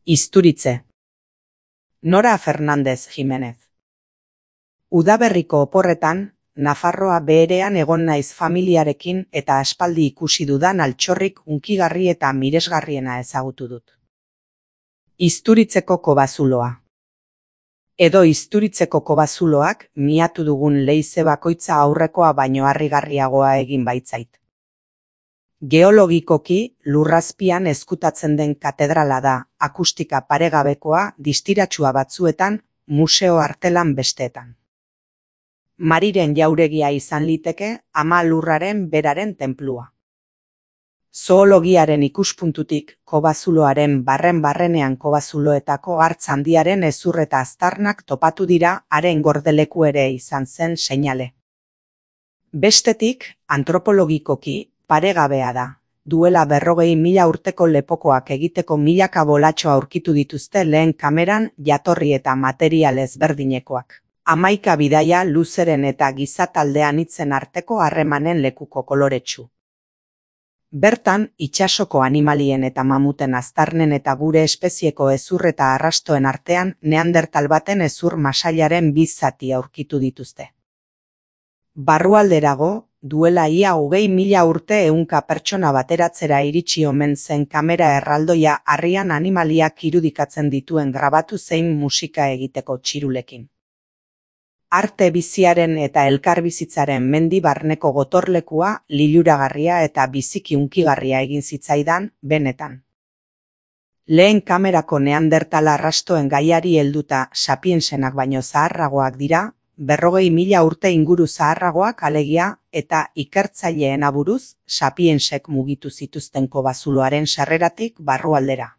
Isturitze. Nora Fernández Jiménez. Udaberriko oporretan, Nafarroa beherean egon naiz familiarekin eta aspaldi ikusi dudan altxorrik hunkigarri eta miresgarriena ezagutu dut. Isturitzeko kobazuloa. Edo Isturitzeko kobazuloak miatu dugun leize bakoitza aurrekoa baino harrigarriagoa egin baitzait. Geologikoki lurrazpian ezkutatzen den katedrala da, akustika paregabekoa, distiratsua batzuetan, museo artelan besteetan. Mariren jauregia izan liteke, ama lurraren beraren tenplua. Zoologiaren ikuspuntutik, kobazuloaren barren-barrenean kobazuloetako hartz handiaren hezur eta aztarnak topatu dira, haren gordeleku ere izan zen seinale. Bestetik, antropologikoki, paregabea da. Duela 40.000 urteko lepokoak egiteko milaka bolatxo aurkitu dituzte lehen kameran jatorri eta material ezberdinekoak. 11 bidaia luzeren eta gizataldean hitzen arteko harremanen lekuko koloretsu. Bertan, itsasoko animalien eta mamuten aztarnen eta gure espezieko hezur eta arrastoen artean neandertal baten hezur masailaren bi zati aurkitu dituzte. Barrualderago, duela ia 20.000 urte ehunka pertsona bateratzera iritsi omen zen kamera erraldoia harrian animaliak irudikatzen dituen grabatu zein musika egiteko txirulekin. Arte biziaren eta elkarbizitzaren mendi barneko gotorlekua liluragarria eta biziki hunkigarria egin zitzaidan, benetan. Lehen kamerako neandertal arrastoen gaiari helduta sapiensenak baino zaharragoak dira, 40.000 urte inguru zaharragoak alegia eta ikertzaileen aburuz sapiensek mugitu zituzten kobazuloaren sarreratik barrualdera.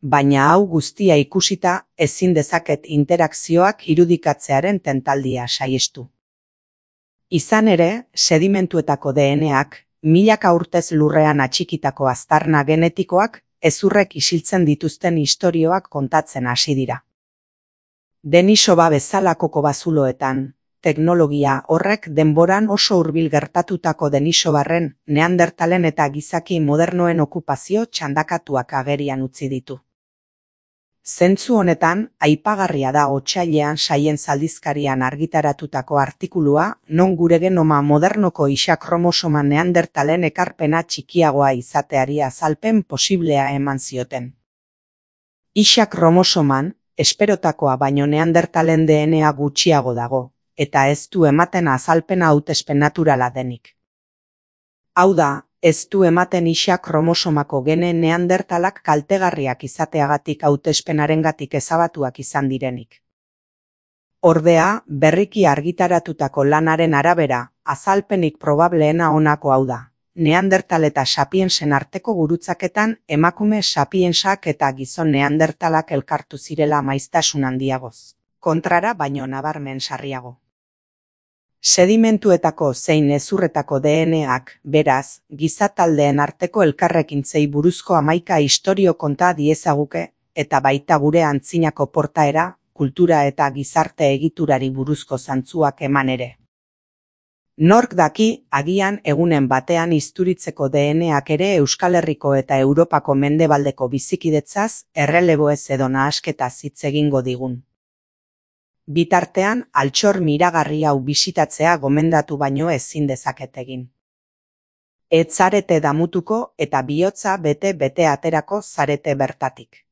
Baina hau guztia ikusita ezin dezaket interakzioak irudikatzearen tentaldia saihestu. Izan ere, sedimentuetako DNA-ak, milaka urtez lurrean atxikitako aztarna genetikoak hezurrek isiltzen dituzten istorioak kontatzen hasi dira. Denisova bezalako kobazuloetan, teknologia horrek denboran oso hurbil gertatutako Denisovarren, neandertalen eta gizaki modernoen okupazio txandakatuak agerian utzi ditu. Zentzu honetan, aipagarria da otsailean Science aldizkarian argitaratutako artikulua, non gure genoma modernoko isa kromosoma neandertalen ekarpena txikiagoa izateari azalpen posiblea eman zioten. Isa kromosoman, esperotakoa baino neandertalen DNA gutxiago dago, eta ez du ematen azalpena hautespen naturala denik. Hau da, ez du ematen isa kromosomako gene neandertalak kaltegarriak izateagatik hautespenarengatik ezabatuak izan direnik. Ordea, berriki argitaratutako lanaren arabera, azalpenik probableena honako hau da. Neandertal eta sapiensen arteko gurutzaketan emakume sapiensak eta gizon neandertalak elkartu zirela maiztasun handiagoz. Kontrara baino nabarmen sarriago. Sedimentuetako zein hezurretako DNA-ak, beraz, gizataldeen arteko elkarrekintzei buruzko 11 istorio konta diezaguke, eta baita gure antzinako portaera, kultura eta gizarte egiturari buruzko zantzuak eman ere. Nork daki, agian egunen batean Isturitzeko DNA-ak ere Euskal Herriko eta Europako mendebaldeko bizikidetzaz, erreleboez edo nahasketaz hitz egingo digun. Bitartean, altxor miragarri hau bisitatzea gomendatu baino ezin dezaket egin. Ez zarete damutuko eta bihotza bete aterako zarete bertatik.